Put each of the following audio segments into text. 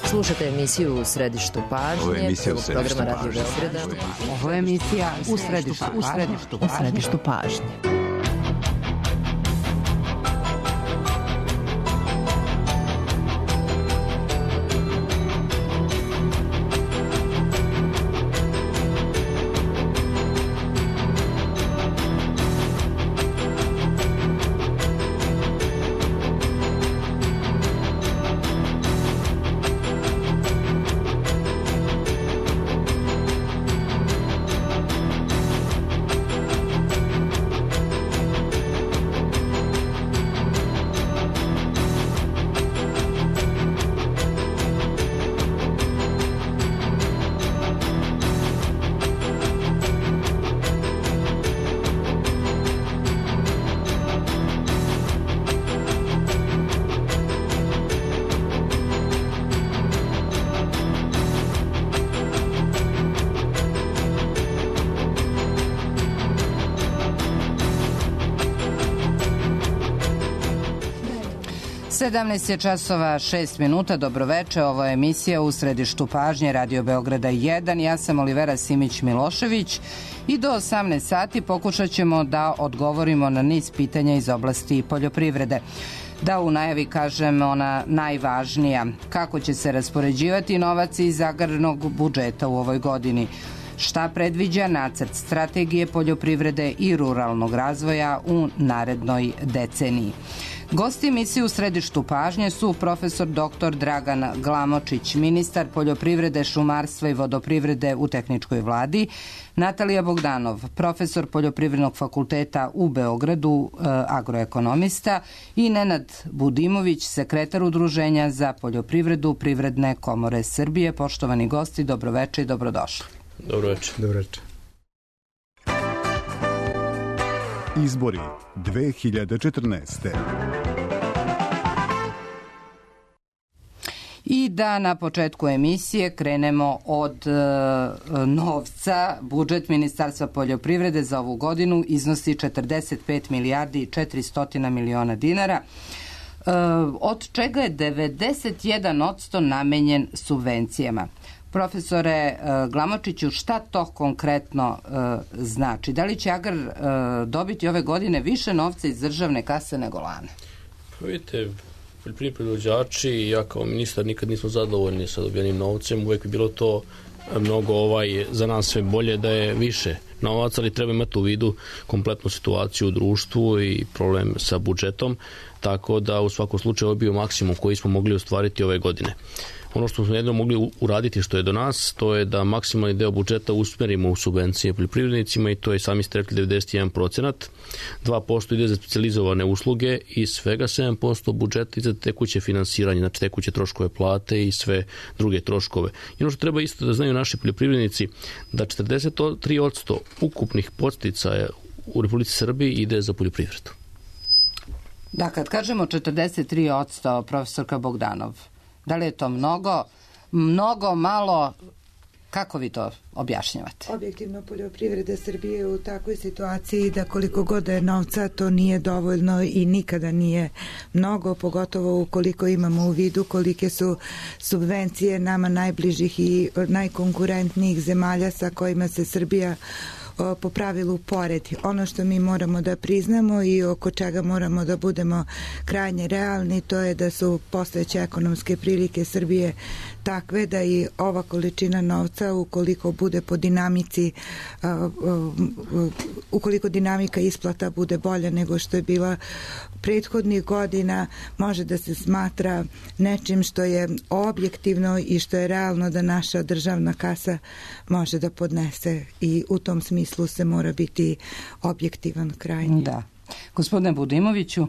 Slušate emisiju U središtu pažnje, programa Radio Beograda. Ovo je emisija U središtu pažnje. Sedamnaest je časova 6 minuta. Dobroveče, ovo je emisija U središtu pažnje Radio Beograda 1. Ja sam Olivera Simić-Milošević i do 18 sati pokušat ćemo da odgovorimo na niz pitanja iz oblasti poljoprivrede. Da u najavi kažem ona najvažnija. Kako će se raspoređivati novac iz agrarnog budžeta u ovoj godini? Šta predviđa nacrt strategije poljoprivrede i ruralnog razvoja u narednoj deceniji? Gosti emisije U središtu pažnje su profesor dr. Dragan Glamočić, ministar poljoprivrede, šumarstva i vodoprivrede u tehničkoj vladi, Natalija Bogdanov, profesor Poljoprivrednog fakulteta u Beogradu, agroekonomista, i Nenad Budimović, sekretar Udruženja za poljoprivredu Privredne komore Srbije. Poštovani gosti, dobroveče i dobrodošli. Dobroveče. Dobroveče. Izbori 2014. I da na početku emisije krenemo od novca. Budžet Ministarstva poljoprivrede za ovu godinu iznosi 45 milijardi i 400 miliona dinara, od čega je 91% namenjen subvencijama. Profesore Glamočiću, šta to konkretno znači? Da li će Agrar dobiti ove godine više novca iz državne kase nego lane? Pa vidite, poljoprivredni proizvođači i ja kao ministar nikad nismo zadovoljni sa dobijenim novcem. Uvijek bi bilo to mnogo za nas sve bolje da je više novaca, ali treba imati u vidu kompletnu situaciju u društvu i problem sa budžetom, tako da u svakom slučaju ovo je bio maksimum koji smo mogli ostvariti ove godine. Ono što smo jedno mogli uraditi što je do nas, to je da maksimalni deo budžeta usmerimo u subvencije poljoprivrednicima i to je, sami ste rekli, 91%. 2% ide za specijalizovane usluge i svega 7% budžeta ide za tekuće finansiranje, znači tekuće troškove plate i sve druge troškove. I ono što treba isto da znaju naši poljoprivrednici, da 43% ukupnih podsticaja u Republici Srbiji ide za poljoprivredu. Da, kad kažemo 43%, profesorka Bogdanov, da li je to mnogo, malo? Kako vi to objašnjavate? Objektivno, poljoprivreda Srbije je u takvoj situaciji da koliko god je novca, to nije dovoljno i nikada nije mnogo, pogotovo ukoliko imamo u vidu kolike su subvencije nama najbližih i najkonkurentnijih zemalja sa kojima se Srbija po pravilu poredi. Ono što mi moramo da priznamo i oko čega moramo da budemo krajnje realni, to je da su postojeće ekonomske prilike Srbije takve da i ova količina novca, ukoliko bude po dinamici, ukoliko dinamika isplata bude bolja nego što je bila prethodnih godina, može da se smatra nečim što je objektivno i što je realno da naša državna kasa može da podnese, i u tom smislu se mora biti objektivan krajnji. Da. Gospodine Budimoviću?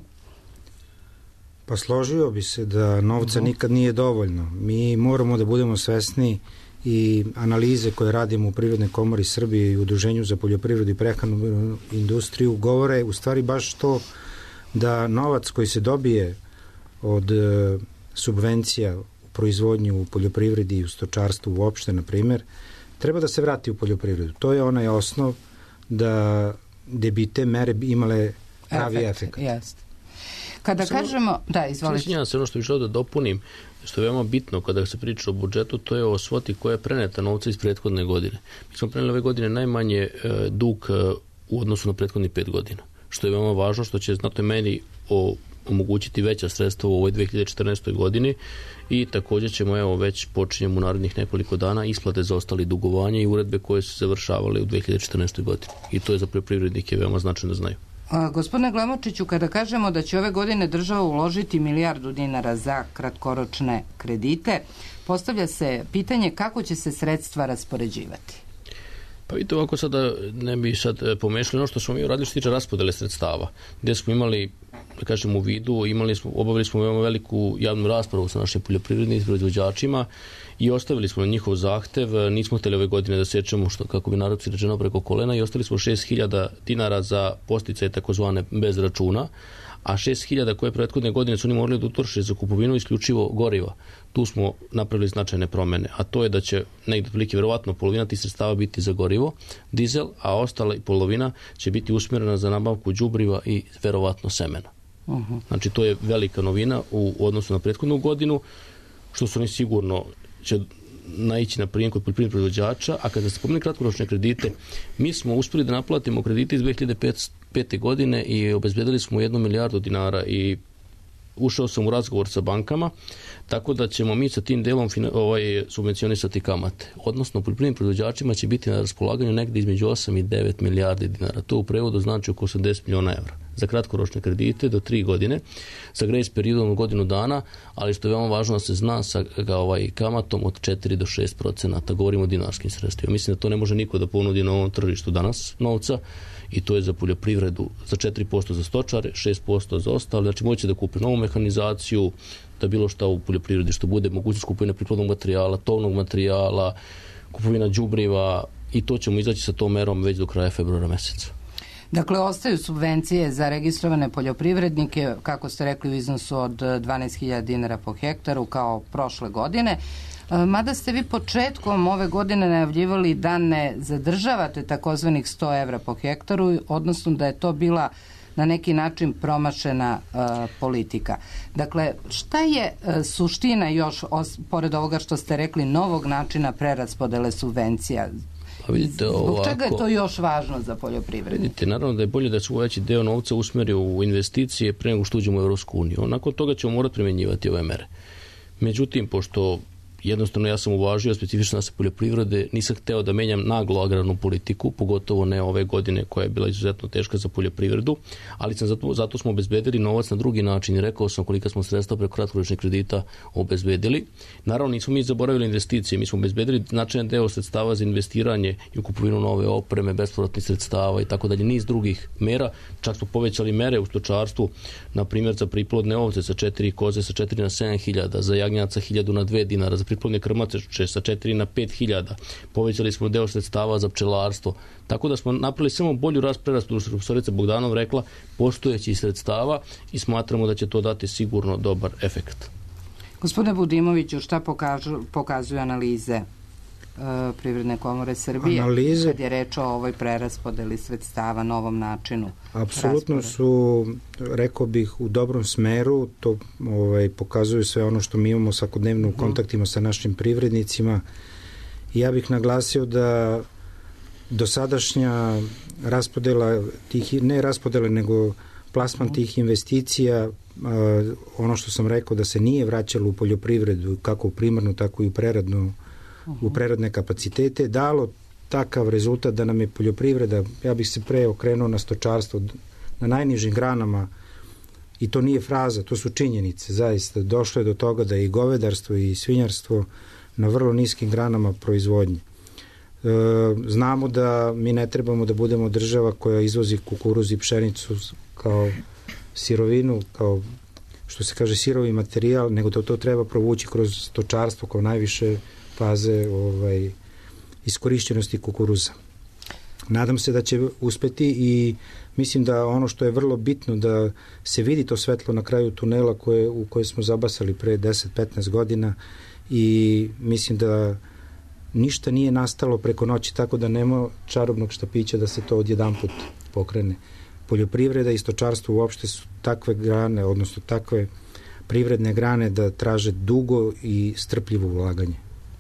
Pa složio bi se da novca nikad nije dovoljno. Mi moramo da budemo svesni i analize koje radimo u Privrednoj komori Srbije i Udruženju za poljoprivredu i prehrambenu industriju govore u stvari baš to da novac koji se dobije od subvencija u proizvodnju u poljoprivredi i u stočarstvu uopšte, na primjer, treba da se vrati u poljoprivredu. To je onaj osnov da bi te mere imale pravi efekt. Jeste. Kada kažemo... Da, izvolite. Svišnjam se ono što bih želeo da dopunim, što je veoma bitno kada se priča o budžetu, to je o svoti koja je preneta novca iz prethodne godine. Mi smo preneli ove godine najmanje dug u odnosu na prethodnih 5 godina, što je veoma važno, što će znatnoj meri omogućiti veća sredstva u ovoj 2014. godini i također ćemo, već počinjemo u narednih nekoliko dana isplate za ostali dugovanja i uredbe koje su završavale u 2014. godini. I to je za poljoprivrednike veoma značajno da znaju. Gospodine Glamočiću, kada kažemo da će ove godine država uložiti $1 milijardu za kratkoročne kredite, postavlja se pitanje kako će se sredstva raspoređivati. Pa vidite, ovako sada ne bi sad pomešali ono što smo mi uradili što tiče raspodele sredstava, gdje smo imali, da kažem, u vidu, obavili smo veoma veliku javnu raspravu sa našim poljoprivrednim proizvođačima i ostavili smo na njihov zahtev, nismo htjeli ove godine da sečemo, što, kako bi narodci rečeno, preko kolena, i ostavili smo $6.000 za posticaje takozvane bez računa, a 6.000 koje prethodne godine su oni morali da utroše za kupovinu isključivo goriva. Tu smo napravili značajne promjene, a to je da će negdje otprilike verovatno polovina tih sredstava biti za gorivo, dizel, a ostala polovina će biti usmjerena za nabavku đubriva i verovatno semena. Znači to je velika novina u odnosu na prethodnu godinu, što su oni sigurno će naići na prijem kod poljoprivrednih proizvođača, a kada se spomenu kratkoročne kredite, mi smo uspjeli da naplatimo kredite iz 2005. godine i obezbedili smo $1 milijardu i ušao sam u razgovor sa bankama, tako da ćemo mi sa tim delom subvencionisati kamate. Odnosno, poljoprivrednim proizvođačima će biti na raspolaganju negdje između 8 i 9 milijardi dinara. To u prevodu znači oko 80 miliona evra za kratkoročne kredite do 3 godine, sa grace periodom od godinu dana, ali što je veoma važno da se zna sa kamatom od 4 do 6%. Govorimo o dinarskim sredstvima. Mislim da to ne može niko da ponudi na ovom tržištu danas novca, i to je za poljoprivredu za 4% za stočare, 6% za ostale. Znači moći da kupe novu mehanizaciju, da bilo šta u poljoprivredi što bude, mogućnost kupovina priplodnog materijala, tovnog materijala, kupovina đubriva, i to ćemo izaći sa tom merom već do kraja februara meseca. Dakle, ostaju subvencije za registrovane poljoprivrednike, kako ste rekli, u iznosu od $12.000 po hektaru kao prošle godine. Mada ste vi početkom ove godine najavljivali da ne zadržavate takozvanih 100 evra po hektaru, odnosno da je to bila na neki način promašena politika. Dakle, šta je suština još, pored ovoga što ste rekli, novog načina preraspodele subvencija? Pa vidite, zbog čega je to još važno za poljoprivrednike? Vidite, naravno da je bolje da se veći deo novca usmeri u investicije pre nego što uđemo u Evropsku uniju. Nakon toga ćemo morati primjenjivati ove mere. Međutim, pošto jednostavno ja sam uvažio specifičnost poljoprivrede, nisam hteo da menjam naglo agrarnu politiku, pogotovo ne ove godine koja je bila izuzetno teška za poljoprivredu, ali zato smo obezbedili novac na drugi način i rekao sam kolika smo sredstva preko kratkoročnih kredita obezbedili. Naravno nismo mi zaboravili investicije, mi smo obezbedili značajan deo sredstava za investiranje i u kupovinu nove opreme, bespovratnih sredstava i tako dalje, niz drugih mera, čak smo povećali mere u stočarstvu, na primjer za priplodne ovce sa 4 koze sa 4 na 7.000, za jagnjaca 1.000 na 2 dinara, za priplodne krmače sa 4 na 5.000. Povećali smo deo sredstava za pčelarstvo. Tako da smo napravili samo bolju preraspodelu, što profesorica Bogdanov rekla, postojećih sredstava, i smatramo da će to dati sigurno dobar efekt. Gospodine Budimoviću, šta pokazuju analize Privredne komore Srbije kad je reč o ovoj preraspodeli sredstava, novom načinu? Apsolutno su, rekao bih, u dobrom smeru. To pokazuju sve ono što mi imamo svakodnevno u kontaktima sa našim privrednicima. Ja bih naglasio da dosadašnja raspodela tih, ne raspodela nego plasman tih investicija, ono što sam rekao da se nije vraćalo u poljoprivredu, kako u primarnu, tako i u preradnu, u preradne kapacitete, dalo takav rezultat da nam je poljoprivreda, ja bih se pre okrenuo na stočarstvo, na najnižim granama, i to nije fraza, to su činjenice, zaista. Došlo je do toga da je i govedarstvo i svinjarstvo na vrlo niskim granama proizvodnje. Znamo da mi ne trebamo da budemo država koja izvozi kukuruz i pšenicu kao sirovinu, kao što se kaže sirovi materijal, nego to treba provući kroz stočarstvo kao najviše faze iskorišćenosti kukuruza. Nadam se da će uspeti i mislim da ono što je vrlo bitno da se vidi to svetlo na kraju tunela u koje smo zabasali pre 10-15 godina, i mislim da ništa nije nastalo preko noći, tako da nema čarobnog štapića da se to odjedanput pokrene. poljoprivreda i stočarstvo uopšte su takve grane, odnosno takve privredne grane da traže dugo i strpljivo ulaganje.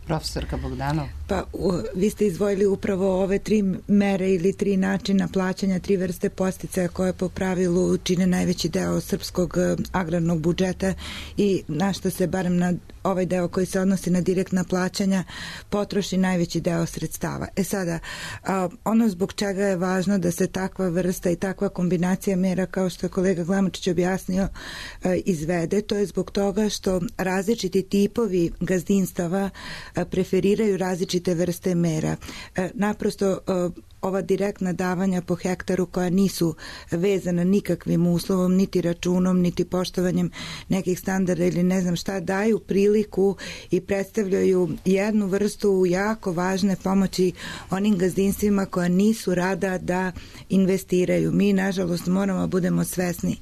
Profesorka Bogdanov. Pa vi ste izdvojili upravo ove 3 mere ili 3 načina plaćanja, 3 vrste podsticaja koje po pravilu čine najveći deo srpskog agrarnog budžeta i na što se barem na ovaj deo koji se odnosi na direktna plaćanja potroši najveći deo sredstava. Sada, ono zbog čega je važno da se takva vrsta i takva kombinacija mera, kao što je kolega Glamočić objasnio, izvede, to je zbog toga što različiti tipovi gazdinstava preferiraju različite vrste mera. Naprosto ova direktna davanja po hektaru koja nisu vezana nikakvim uslovom, niti računom, niti poštovanjem nekih standarda ili ne znam šta, daju priliku i predstavljaju jednu vrstu jako važne pomoći onim gazdinstvima koja nisu rada da investiraju. Mi, nažalost, moramo budemo svesni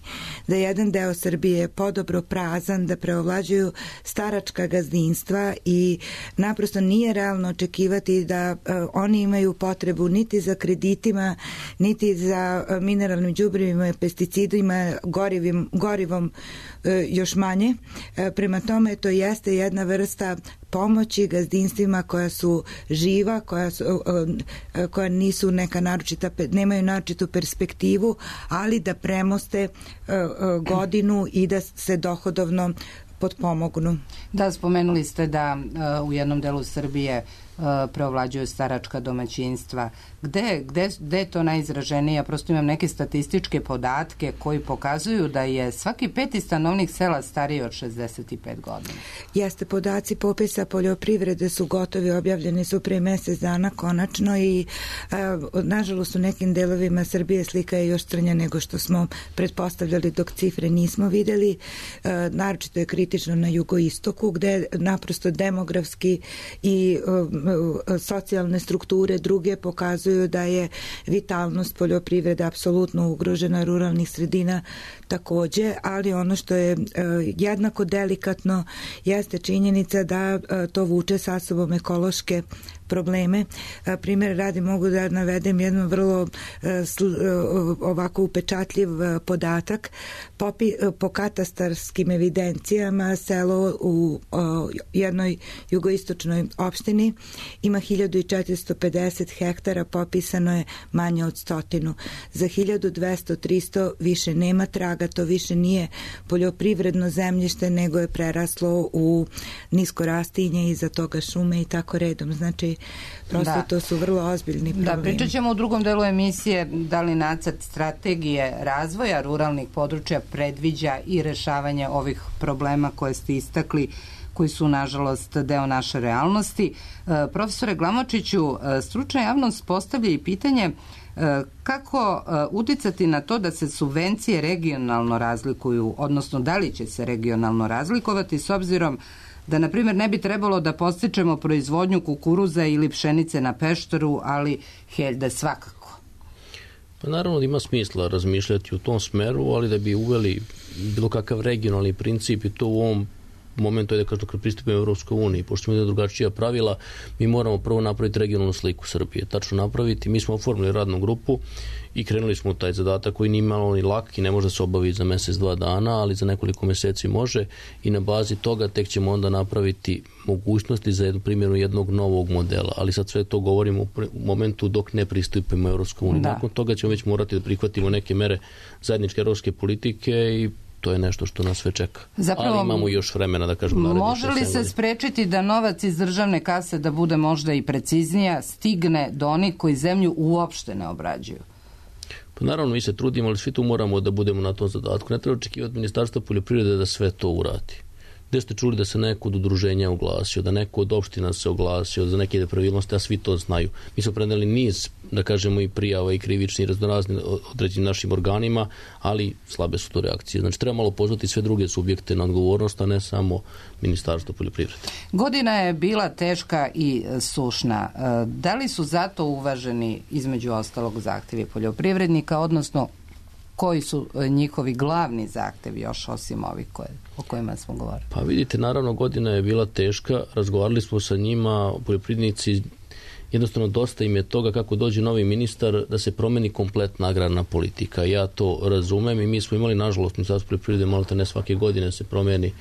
da jedan deo Srbije je podobro prazan, da preovlađuju staračka gazdinstva i naprosto nije realno očekivati da oni imaju potrebu niti za kreditima, niti za mineralnim đubrivima, pesticidima, gorivom još manje. Prema tome, to jeste jedna vrsta pomoći gazdinstvima koja su živa, koja nisu neka naročita, nemaju naročitu perspektivu, ali da premoste godinu i da se dohodovno potpomognu. Da, spomenuli ste da u jednom delu Srbije preovlađuju staračka domaćinstva. Gde je to najizraženije? Ja prosto imam neke statističke podatke koji pokazuju da je svaki 5. stanovnik sela stariji od 65 godina. Jeste, podaci popisa poljoprivrede su gotovi, objavljeni su pre mesec dana konačno i nažalost u nekim delovima Srbije slika je još crnja nego što smo pretpostavljali dok cifre nismo videli. Naročito je kritično na jugoistoku gde naprosto demografski i socijalne strukture druge pokazuju da je vitalnost poljoprivrede apsolutno ugrožena, ruralnih sredina takođe, ali ono što je jednako delikatno jeste činjenica da to vuče sa sobom ekološke probleme. Primjer radi mogu da navedem jedno vrlo ovako upečatljiv podatak. Po katastarskim evidencijama selo u jednoj jugoistočnoj opštini ima 1450 hektara, popisano je manje od 100. Za 1200-300 više nema traga, to više nije poljoprivredno zemljište, nego je preraslo u nisko rastinje, iza toga šume i tako redom. Znači, prosto to su vrlo ozbiljni problemi. Da, pričat ćemo u drugom delu emisije da li nacrt strategije razvoja ruralnih područja predviđa i rešavanje ovih problema koje ste istakli, koji su, nažalost, deo naše realnosti. Profesore Glamočiću, stručna javnost postavlja i pitanje kako uticati na to da se subvencije regionalno razlikuju, odnosno da li će se regionalno razlikovati s obzirom da, na primjer, ne bi trebalo da podstičemo proizvodnju kukuruza ili pšenice na Pešteru, ali heljde svakako. Pa naravno da ima smisla razmišljati u tom smeru, ali da bi uveli bilo kakav regionalni princip i to u ovom momentu je da kažem kad pristupimo Evropskoj uniji, pošto imamo drugačija pravila, mi moramo prvo napraviti regionalnu sliku Srbije, tačno napraviti. Mi smo oformili radnu grupu i krenuli smo u taj zadatak koji nije malo ni lak i ne može da se obavi za mesec, 2 dana, ali za nekoliko meseci može i na bazi toga tek ćemo onda napraviti mogućnosti za primjenu jednog novog modela, ali sad sve to govorimo u momentu dok ne pristupimo Evropskoj uniji. Nakon toga ćemo već morati da prihvatimo neke mere zajedničke evropske politike i to je nešto što nas sve čeka. Zapravo, ali imamo još vremena da kažemo. Može li se sprečiti da novac iz državne kase, da bude možda i preciznija, stigne do onih koji zemlju uopšte ne obrađuju? Pa naravno mi se trudimo, ali svi tu moramo da budemo na tom zadatku. Ne treba očekivati Ministarstva poljoprivrede da sve to uradi. Gde ste čuli da se neko od udruženja oglasio, da neko od opština se oglasio za neke nepravilnosti, a svi to znaju. Mi smo preneli niz, da kažemo, i prijava i krivični i raznorazni određenim našim organima, ali slabe su to reakcije. Znači treba malo pozvati sve druge subjekte na odgovornost, a ne samo Ministarstvo poljoprivrede. Godina je bila teška i sušna. Da li su zato uvaženi između ostalog zahtevi poljoprivrednika, odnosno koji su njihovi glavni zahtevi još osim ovih o kojima smo govorili? Pa vidite, naravno godina je bila teška, razgovarali smo sa njima, poljoprivrednici jednostavno dosta im je toga kako dođe novi ministar da se promeni kompletna agrarna politika. Ja to razumem i mi smo imali, nažalost, Ministarstvo poljoprivrede malo ne svake godine se promeni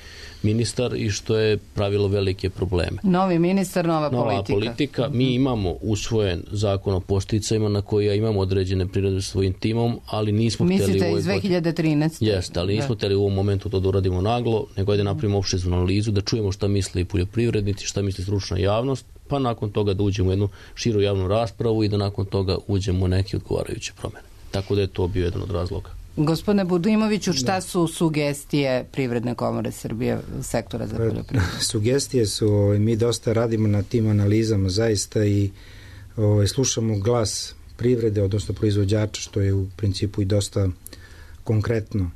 ministar i što je pravilo velike probleme. Novi ministar, nova politika. Mi imamo usvojen zakon o podsticajima na koji ja imamo određene prirode svojim timom, ali nismo hteli... Mislite iz 2013. Jeste, ali nismo hteli u ovom momentu to da uradimo naglo, nego da napravimo opštu analizu, da čujemo šta misle i poljoprivrednici, šta misli stručna javnost, pa nakon toga da uđemo u jednu širu javnu raspravu i da nakon toga uđemo u neke odgovarajuće promene. Tako da je to bio jedan od razloga. Gospodine Budimoviću, šta su sugestije Privredne komore Srbije, sektora za poljoprivredu? Sugestije su, mi dosta radimo na tim analizama zaista i slušamo glas privrede, odnosno proizvođača, što je u principu i dosta konkretno.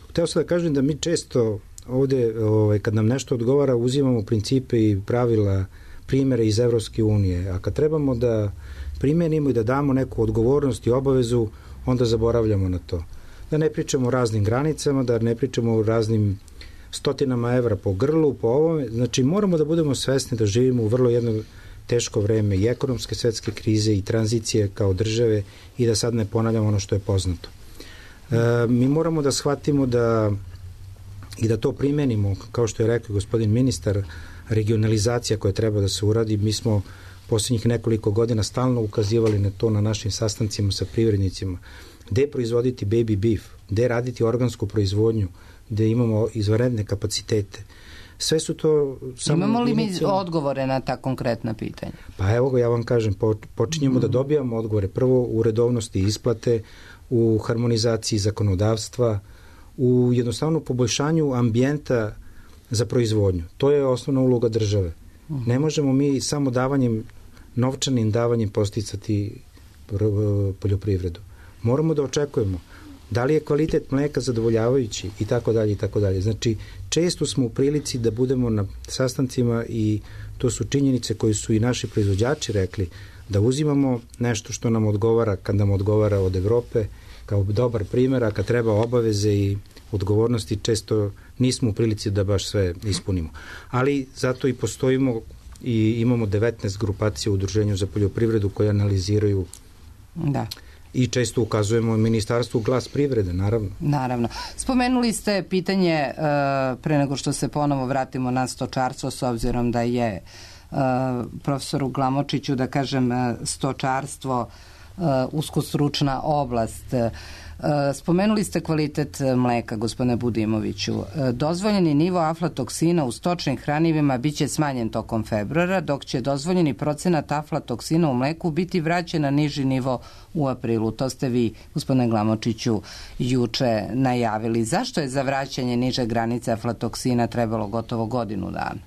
Hteo sam da kažem da mi često ovde, kad nam nešto odgovara, uzimamo principe i pravila, primere iz Evropske unije, a kad trebamo da primenimo i da damo neku odgovornost i obavezu, onda zaboravljamo na to. Da ne pričamo o raznim granicama, da ne pričamo o raznim stotinama evra po grlu, po ovome. Znači, moramo da budemo svesni da živimo u vrlo jedno teško vreme i ekonomske svetske krize i tranzicije kao države i da sad ne ponavljamo ono što je poznato. Mi moramo da shvatimo i da to primenimo, kao što je rekao gospodin ministar, regionalizacija koja treba da se uradi. Mi smo posljednjih nekoliko godina stalno ukazivali na to na našim sastancima sa privrednicima. Gde proizvoditi baby beef, gde raditi organsku proizvodnju, gde imamo izvanredne kapacitete. Sve su to... Imamo li mi odgovore na ta konkretna pitanja? Pa evo ga, ja vam kažem, počinjemo da dobijamo odgovore. Prvo u redovnosti isplate, u harmonizaciji zakonodavstva, u jednostavno poboljšanju ambijenta za proizvodnju. To je osnovna uloga države. Ne možemo mi samo novčanim davanjem posticati poljoprivredu. Moramo da očekujemo da li je kvalitet mleka zadovoljavajući i tako dalje i tako dalje. Znači, često smo u prilici da budemo na sastancima i to su činjenice koje su i naši proizvođači rekli, da uzimamo nešto što nam odgovara kad nam odgovara od Evrope kao dobar primjer, a kad treba obaveze i odgovornosti često nismo u prilici da baš sve ispunimo. Ali zato i postojimo i imamo 19 grupacija u Udruženju za poljoprivredu koje analiziraju i često ukazujemo ministarstvu glas privrede, naravno. Naravno. Spomenuli ste pitanje, pre nego što se ponovo vratimo na stočarstvo, s obzirom da je profesoru Glamočiću, da kažem, stočarstvo uskostručna oblast. Spomenuli ste kvalitet mleka, gospodine Budimoviću. Dozvoljeni nivo aflatoksina u stočnim hranivima biće smanjen tokom februara, dok će dozvoljeni procenat aflatoksina u mleku biti vraćen na niži nivo u aprilu. To ste vi, gospodine Glamočiću, juče najavili. Zašto je za vraćanje niže granice aflatoksina trebalo gotovo godinu dana?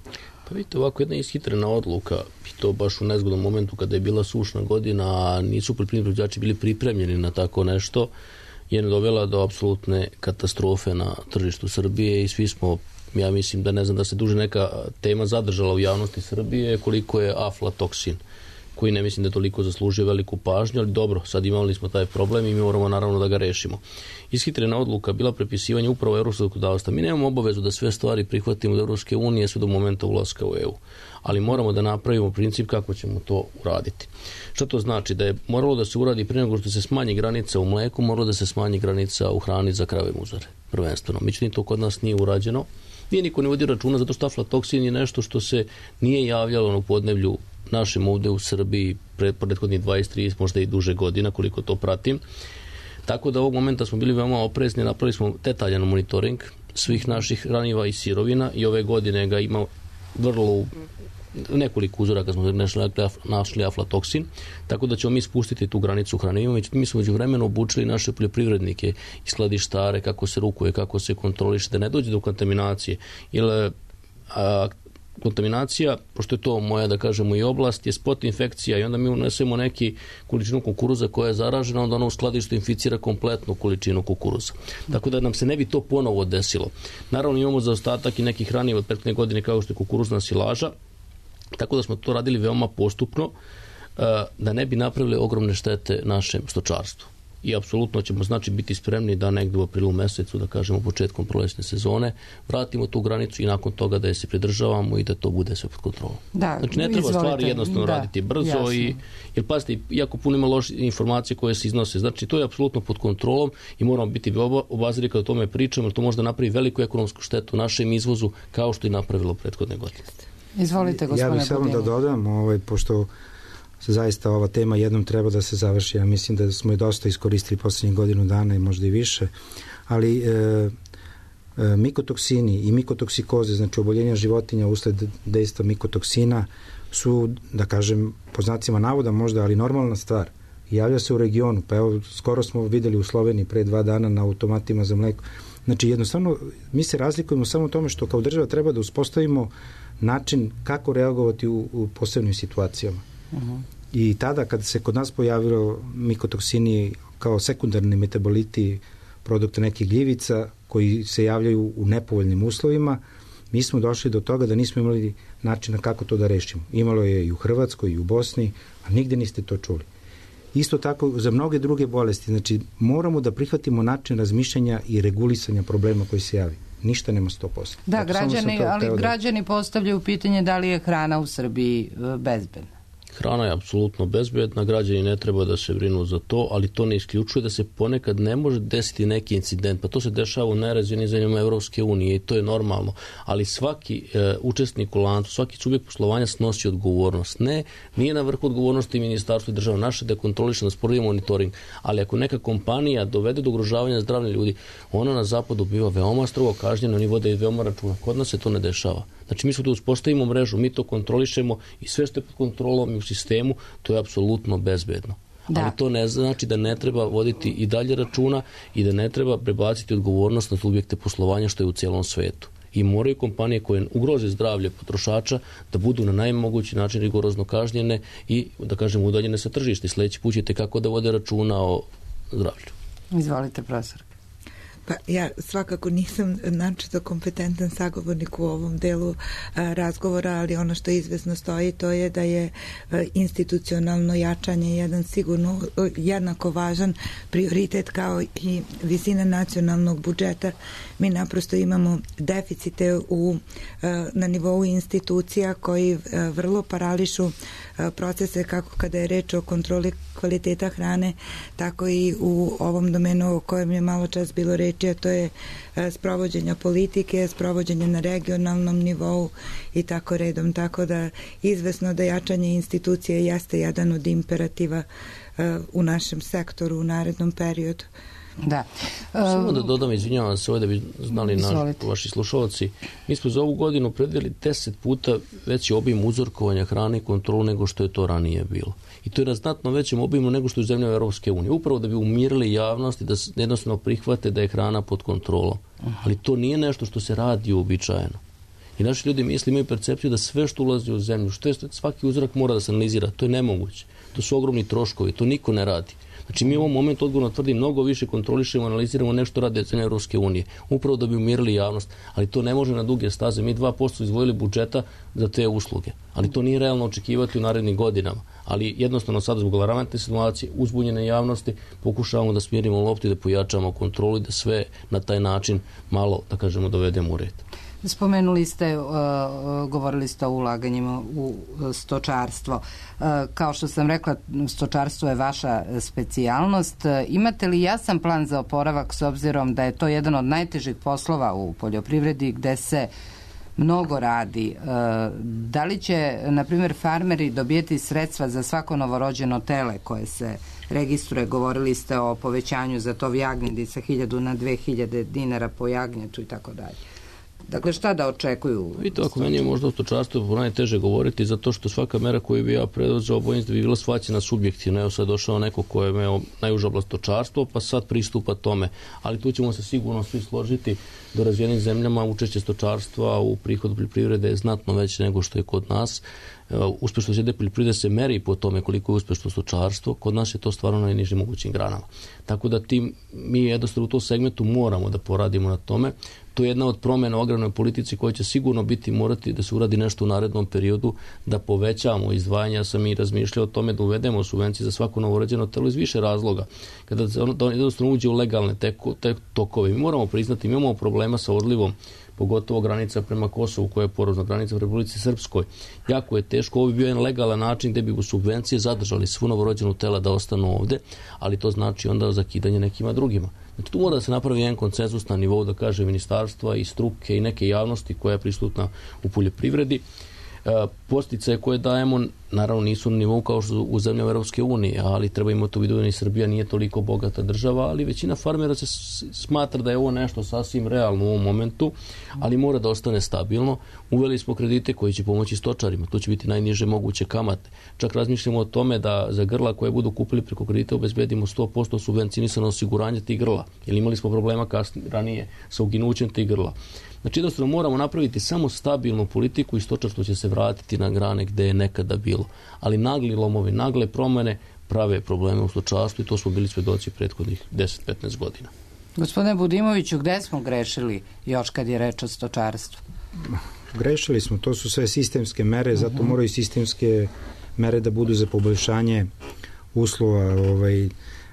Pa vidite, ovako jedna ishitrena odluka, i to baš u nezgodnom momentu kada je bila sušna godina, a nisu poljoprivredni proizvođači bili pripremljeni na tako nešto, je dovela do apsolutne katastrofe na tržištu Srbije i svi smo, ja mislim da ne znam da se duže neka tema zadržala u javnosti Srbije, koliko je aflatoksin, koji ne mislim da toliko zaslužuje veliku pažnju, ali dobro, sad imali smo taj problem i mi moramo naravno da ga rešimo. Ishitrena odluka bila prepisivanje upravo evropskog zakonodavstva. Mi nemamo obavezu da sve stvari prihvatimo od Evropske unije sve do momenta ulaska u EU, ali moramo da napravimo princip kako ćemo to uraditi. Što to znači? Da je moralo da se uradi prije nego što se smanji granica u mleku, moralo da se smanji granica u hrani za krave muzare, prvenstveno. Međutim, to kod nas nije urađeno. Nije niko ne vodi računa zato što aflatoksin je nešto što se nije javljalo u podneblju našem ovde u Srbiji prethodnih 20, 30, možda i duže godina, koliko to pratim. Tako da ovog momenta smo bili veoma oprezni, napravili smo detaljan monitoring svih naših hraniva i sirovina i ove godine ga ima vrlo nekoliko uzoraka smo našli aflatoksin, tako da ćemo mi spustiti tu granicu hranivima. Međutim, mi smo međuvremeno obučili naše poljoprivrednike i skladištare kako se rukuje, kako se kontroliše, da ne dođe do kontaminacije. Jer kontaminacija, pošto je to moja, da kažemo, i oblast, je spot infekcija i onda mi unesemo neki količinu kukuruza koja je zaražena, onda ono u skladištu inficira kompletnu količinu kukuruza. Tako da nam se ne bi to ponovo desilo. Naravno, imamo zaostatak i nekih hranjiva od prethodne godine kao što je kukuruzna silaža, tako da smo to radili veoma postupno da ne bi napravili ogromne štete našem stočarstvu. i apsolutno ćemo biti spremni da negdje u aprilu mesecu, da kažemo početkom prolećne sezone, vratimo tu granicu i nakon toga da je se pridržavamo i da to bude sve pod kontrolom. Znači ne treba stvari jednostavno raditi brzo jer pazite, jako puno ima loše informacije koje se iznose. Znači to je apsolutno pod kontrolom i moramo biti obazrivi kada o tome pričamo, jer to možda napravi veliku ekonomsku štetu našem izvozu kao što je napravilo prethodne godine. Izvolite, gospodine Ja bih samo da dodam, pošto se zaista ova tema jednom treba da se završi. Ja mislim da smo je dosta iskoristili poslednjih godinu dana i možda i više, ali mikotoksini i mikotoksikoze, znači oboljenja životinja usled dejstva mikotoksina su, da kažem, po znacima navoda možda, ali normalna stvar. Javlja se u regionu, pa evo, skoro smo videli u Sloveniji pre 2 dana na automatima za mleko. Znači, jednostavno, mi se razlikujemo samo u tome što kao država treba da uspostavimo način kako reagovati u posebnim situacijama. I tada kad se kod nas pojavilo mikotoksini kao sekundarni metaboliti produkta nekih gljivica koji se javljaju u nepovoljnim uslovima, mi smo došli do toga da nismo imali načina kako to da rešimo. Imalo je i u Hrvatskoj i u Bosni, a nigde niste to čuli. Isto tako za mnoge druge bolesti. Znači, moramo da prihvatimo način razmišljanja i regulisanja problema koji se javi. Ništa nema 100%. Da, građani postavljaju pitanje da li je hrana u Srbiji bezbedna. Hrana je apsolutno bezbedna, građani ne treba da se brinu za to, ali to ne isključuje da se ponekad ne može desiti neki incident, pa to se dešava u najrazvijenijim zemljama Evropske unije i to je normalno, ali svaki učesnik u lancu, svaki subjekt poslovanja snosi odgovornost. Nije na vrhu odgovornosti ministarstvo i država naše da kontroliše, da sprovodi monitoring, ali ako neka kompanija dovede do ugrožavanja zdravlja ljudi, ona na zapadu biva veoma strogo kažnjena, oni vode i veoma računa. Kod nas se to ne dešava. Znači mi smo tu uspostavimo mrežu, mi to kontrolišemo i sve što je pod kontrolom i u sistemu, to je apsolutno bezbedno. Da. Ali to ne znači da ne treba voditi i dalje računa i da ne treba prebaciti odgovornost na subjekte poslovanja što je u cijelom svetu. I moraju kompanije koje ugroze zdravlje potrošača da budu na najmogući način rigorozno kažnjene i, da kažem, udaljene sa tržišta. Sljedeći put ćete kako da vode računa o zdravlju. Izvolite, profesor. Pa ja svakako nisam načito kompetentan sagovornik u ovom delu razgovora, ali ono što izvesno stoji to je da je institucionalno jačanje jedan sigurno jednako važan prioritet kao i visina nacionalnog budžeta. Mi naprosto imamo deficite na nivou institucija koji vrlo parališu procese kako kada je reč o kontroli kvaliteta hrane, tako i u ovom domenu o kojem je malo čas bilo reči, a to je sprovođenja politike, sprovođenja na regionalnom nivou i tako redom. Tako da izvesno da jačanje institucije jeste jedan od imperativa u našem sektoru u narednom periodu. Da. Samo da dodam, izvinjavam se, da bi znali vaši slušalci, mi smo za ovu godinu predvidjeli 10 puta veći obim uzorkovanja hrane i kontrolu nego što je to ranije bilo. I to je na znatno većem obimu nego što je u zemljama Europske unije. Upravo da bi umirili javnost i da jednostavno prihvate da je hrana pod kontrolom. Ali to nije nešto što se radi uobičajeno. I naši ljudi imaju percepciju da sve što ulazi u zemlju, svaki uzorak mora da se analizira. To je nemoguće. To su ogromni troškovi. To niko ne radi. Znači mi u ovom momentu odgovorno tvrdim mnogo više kontrolišemo, analiziramo nešto rade zemlje Europske unije, upravo da bi umirili javnost, ali to ne može na duge staze. Mi 2% izdvojili budžeta za te usluge, ali to nije realno očekivati u narednim godinama. Ali jednostavno sada zbog alarmantne situacije, uzbunjene javnosti, pokušavamo da smirimo loptu i da pojačamo kontrolu i da sve na taj način malo, da kažemo, dovedemo u red. Spomenuli ste, govorili ste o ulaganjima u stočarstvo. Kao što sam rekla, stočarstvo je vaša specijalnost. Imate li jasan plan za oporavak s obzirom da je to jedan od najtežih poslova u poljoprivredi gde se mnogo radi? Da li će, na primjer, farmeri dobijeti sredstva za svako novorođeno tele koje se registruje? Govorili ste o povećanju za tov jagnjadi sa 1000 na 2000 dinara po jagnjetu i tako dalje. Dakle, šta da očekuju? Vidite, ako meni je možda o stočarstvu najteže govoriti, zato što svaka mera koju bi ja preduzeo bojim se da bi bila shvaćena subjektivno. Evo sad došao neko ko je imao najuža oblast stočarstvo, pa sad pristupa tome. Ali tu ćemo se sigurno svi složiti da u razvijenim zemljama učešće stočarstva u prihodu poljoprivrede je znatno veće nego što je kod nas uspešnost jedne poljoprivrede se meri po tome koliko je uspešno stočarstvo, kod nas je to stvarno na najnižim mogućim granama. Tako da mi jednostavno u tom segmentu moramo da poradimo na tome. To je jedna od promjena u agrarnoj politici koja će sigurno morati da se uradi nešto u narednom periodu, da povećamo izdvajanja. Sam i razmišljao o tome da uvedemo subvencije za svako novorođeno telo iz više razloga. Kada se ono jednostavno uđe u legalne tokove. Mi moramo priznati, mi imamo problema sa odlivom, pogotovo granica prema Kosovu koja je porozna granica u Republici Srpskoj. Jako je teško, ovo bi bio jedan legalan način gde bi u subvencije zadržali svu novorođenu tela da ostanu ovde, ali to znači onda zakidanje nekima drugima. Znači, tu mora da se napravi jedan konsenzus na nivou, da kaže, ministarstva i struke i neke javnosti koja je prisutna u poljoprivredi. Posticaje koje dajemo, naravno, nisu na nivou kao što u zemljama Europske unije, ali treba imati u vidu da i Srbija nije toliko bogata država, ali većina farmera se smatra da je ovo nešto sasvim realno u ovom momentu, ali mora da ostane stabilno. Uveli smo kredite koji će pomoći stočarima, tu će biti najniže moguće kamate. Čak razmišljamo o tome da za grla koje budu kupili preko kredita obezbedimo 100% subvencionisano osiguranje tih grla, jer imali smo problema ranije sa uginućem tih grla. Znači, jednostavno moramo napraviti samo stabilnu politiku i stočarstvo će se vratiti na grane gde je nekada bilo. Ali nagli lomovi, nagle promene prave probleme u stočarstvu i to smo bili svedoci prethodnih 10-15 godina. Gospodine Budimoviću, gde smo grešili još kad je reč o stočarstvu? Grešili smo, to su sve sistemske mere, zato moraju sistemske mere da budu za poboljšanje uslova.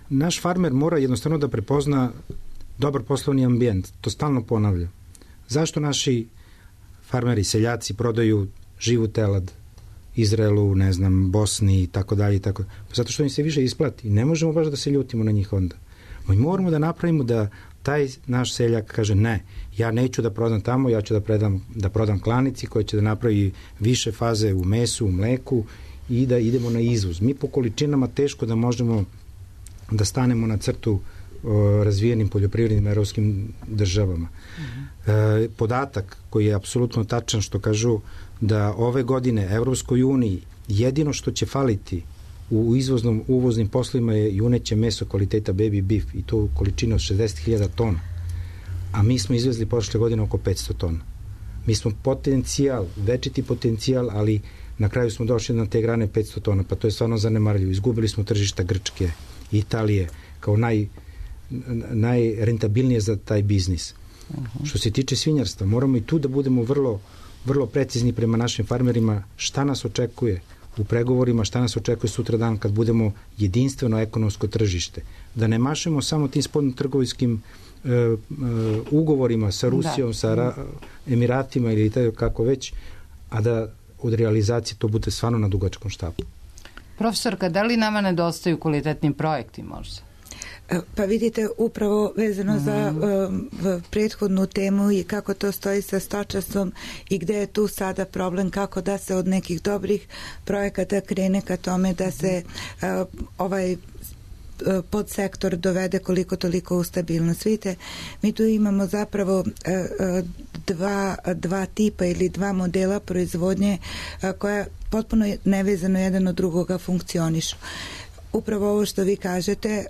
Naš farmer mora jednostavno da prepozna dobar poslovni ambijent, to stalno ponavlja. Zašto naši farmeri, seljaci prodaju živu telad Izraelu, ne znam, Bosni i tako dalje? Zato što im se više isplati. Ne možemo baš da se ljutimo na njih onda. Mi moramo da napravimo da taj naš seljak kaže ne, ja neću da prodam tamo, ja ću da prodam klanici koja će da napravi više faze u mesu, u mleku i da idemo na izvoz. Mi po količinama teško da možemo da stanemo na crtu razvijenim poljoprivrednim evropskim državama. Podatak koji je apsolutno tačan što kažu da ove godine Evropskoj uniji jedino što će faliti u uvoznim poslovima je juneće meso kvaliteta baby beef i to u količini od 60.000 tona. A mi smo izvezli prošle godine oko 500 tona. Mi smo večiti potencijal, ali na kraju smo došli na te grane 500 tona, pa to je stvarno zanemarljivo. Izgubili smo tržišta Grčke, Italije, kao najrentabilnije za taj biznis. Što se tiče svinjarstva, moramo i tu da budemo vrlo, vrlo precizni prema našim farmerima šta nas očekuje u pregovorima, šta nas očekuje sutra dan kad budemo jedinstveno ekonomsko tržište. Da ne mašemo samo tim spoljnotrgovinskim ugovorima sa Rusijom, sa Emiratima ili kako već, a da od realizacije to bude stvarno na dugačkom štapu. Profesorka, da li nama nedostaju kvalitetni projekti možda? Pa vidite, upravo vezano za prethodnu temu i kako to stoji sa stočarstvom i gde je tu sada problem, kako da se od nekih dobrih projekata krene ka tome da se ovaj podsektor dovede koliko toliko u stabilnost. Vidite, mi tu imamo zapravo dva tipa ili dva modela proizvodnje koja potpuno nevezano jedan od drugoga funkcionišu. Upravo ovo što vi kažete,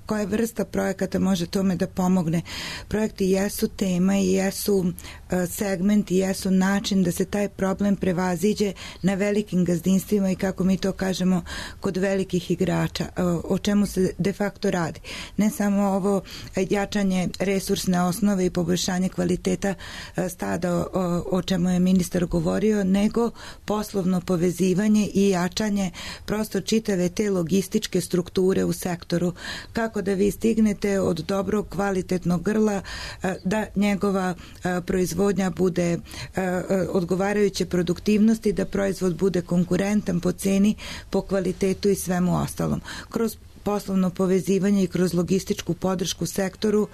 koja vrsta projekata može tome da pomogne. Projekti jesu tema i jesu segment i jesu način da se taj problem prevaziđe na velikim gazdinstvima i kako mi to kažemo kod velikih igrača. O čemu se de facto radi. Ne samo ovo jačanje resursne osnove i poboljšanje kvaliteta stada o čemu je ministar govorio, nego poslovno povezivanje i jačanje prosto čitave te logističke strukture u sektoru. Kako da vi stignete od dobrog kvalitetnog grla da njegova proizvodnja bude odgovarajuće produktivnosti, da proizvod bude konkurentan po ceni, po kvalitetu i svemu ostalom. Kroz poslovno povezivanje i kroz logističku podršku sektoru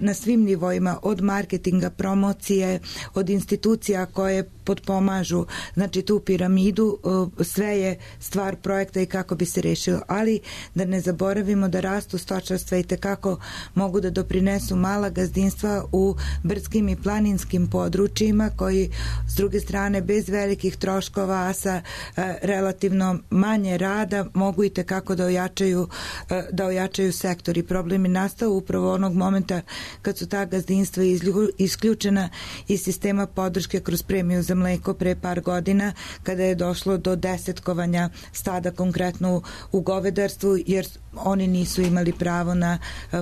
na svim nivoima, od marketinga, promocije, od institucija koje potpomažu, znači tu piramidu, sve je stvar projekta i kako bi se rešilo. Ali da ne zaboravimo da rastu stočarstva i tekako mogu da doprinesu mala gazdinstva u brdskim i planinskim područjima koji s druge strane bez velikih troškova, a sa relativno manje rada mogu i tekako da ojačaju sektor. I problem je nastao upravo onog momenta kad su ta gazdinstva isključena iz sistema podrške kroz premiju za mleko pre par godina kada je došlo do desetkovanja stada konkretno u govedarstvu jer oni nisu imali pravo na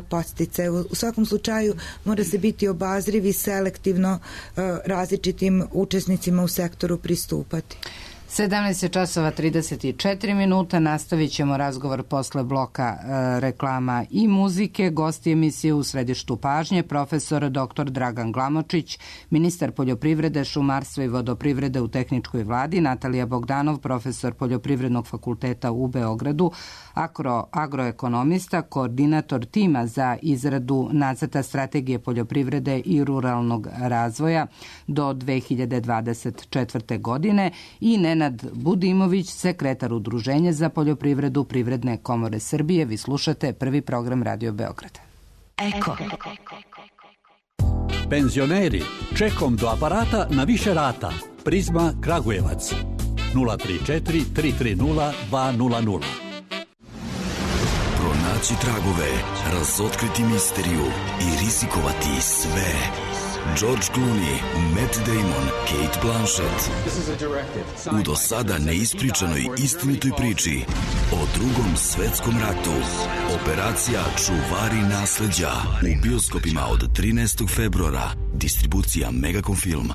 podsticaje. U svakom slučaju mora se biti obazriv i selektivno različitim učesnicima u sektoru pristupati. 17 časova 34 minuta, nastavit ćemo razgovor posle bloka reklama i muzike. Gosti emisije u središtu pažnje, profesor dr. Dragan Glamočić, ministar poljoprivrede, šumarstva i vodoprivrede u tehničkoj vladi, Natalija Bogdanov, profesor Poljoprivrednog fakulteta u Beogradu, agroekonomista, koordinator tima za izradu nacrta strategije poljoprivrede i ruralnog razvoja do 2024. godine i Nenad Budimović, sekretar Udruženja za poljoprivredu Privredne komore Srbije. Vi slušate prvi program Radio Beograda. Eko. Penzioneri, čekom do aparata na više rata. Prizma Kragujevac 034 330 200. Pronaći tragove, razotkriti misteriju i rizikovati sve. George Clooney, Matt Damon, Kate Blanchett. U do sada neispričanoj istinitoj priči o Drugom svetskom ratu. Operacija Čuvari nasleđa u bioskopima od 13. februara. Distribucija Megacom Film.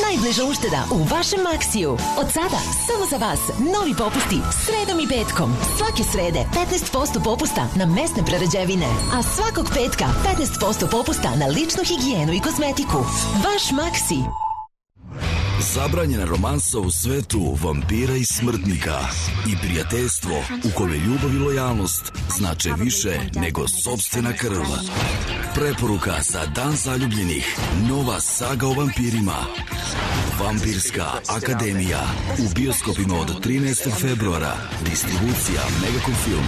Najbliža ušteda u vašem Maksiju. Od sada, samo za vas, novi popusti sredom i petkom. Svake srede 15% popusta na mesne prerađevine, a svakog petka 15% popusta na ličnu higijenu i kozmetiku. Vaš Maksi. Zabranjena romansa u svetu vampira i smrtnika i prijateljstvo u kome ljubav i lojalnost znače više nego sopstvena krv. Preporuka za Dan zaljubljenih. Nova saga o vampirima. Vampirska akademija. U bioskopima od 13. februara. Distribucija Megacom Film.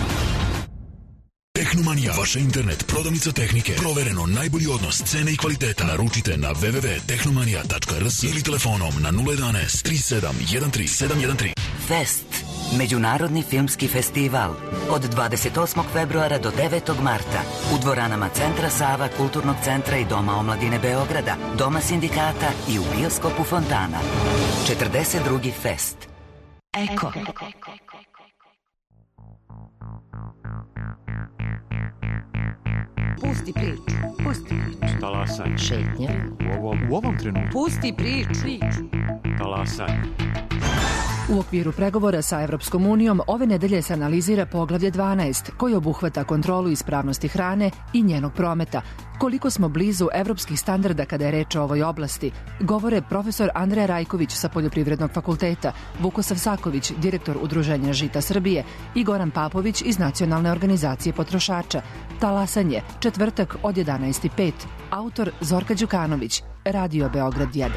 Tehnomanija, vaša internet prodavnica tehnike. Provereno najbolji odnos cene i kvaliteta. Naručite na www.tehnomanija.rs ili telefonom na 011 3713 713. Fest. Međunarodni filmski festival. Od 28. februara do 9. marta. U dvoranama Centra Sava, Kulturnog centra i Doma omladine Beograda, Doma sindikata i u bioskopu Fontana. 42. Fest. Eko. Pusti priču. Pusti priču. Talasaj. Šetnja. U ovom trenutku. Pusti priču. Talasaj. U okviru pregovora sa Evropskom unijom ove nedelje se analizira poglavlje 12, koji obuhvata kontrolu ispravnosti hrane i njenog prometa. Koliko smo blizu evropskih standarda kada je reč o ovoj oblasti, govore profesor Andreja Rajković sa Poljoprivrednog fakulteta, Vukosav Saković, direktor Udruženja Žita Srbije i Goran Papović iz Nacionalne organizacije potrošača. Talasanje, četvrtak od 11:05. Autor Zorka Đukanović, Radio Beograd 1.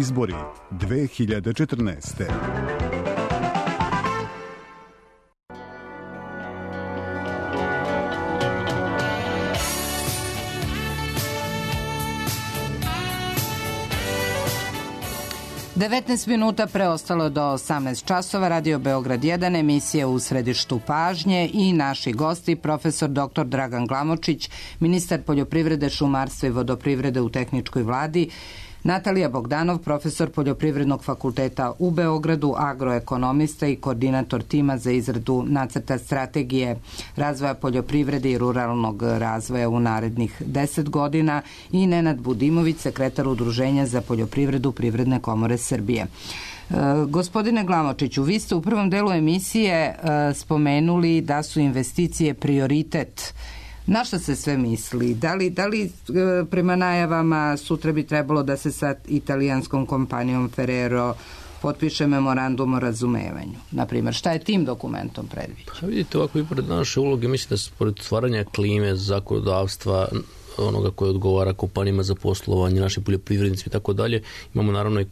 izbori 2014. Devetnaest minuta preostalo do 18 časova. Radio Beograd 1, emisija U središtu pažnje i naši gosti, profesor dr. Dragan Glamočić, ministar poljoprivrede, šumarstva i vodoprivrede u tehničkoj vladi, Natalija Bogdanov, profesor Poljoprivrednog fakulteta u Beogradu, agroekonomista i koordinator tima za izradu nacrta strategije razvoja poljoprivrede i ruralnog razvoja u narednih 10 godina i Nenad Budimović, sekretar Udruženja za poljoprivredu Privredne komore Srbije. Gospodine Glamočiću, vi ste u prvom delu emisije spomenuli da su investicije prioritet. Na što se sve misli? Da li prema najavama sutra bi trebalo da se sa italijanskom kompanijom Ferrero potpiše memorandum o razumevanju? Naprimjer, šta je tim dokumentom predviđeno? Pa vidite, ovako i pored naše uloge, mislim da se pored stvaranja klime, zakonodavstva, onoga koje odgovara kompanijama za poslovanje, našim poljoprivrednicima i tako dalje, imamo naravno i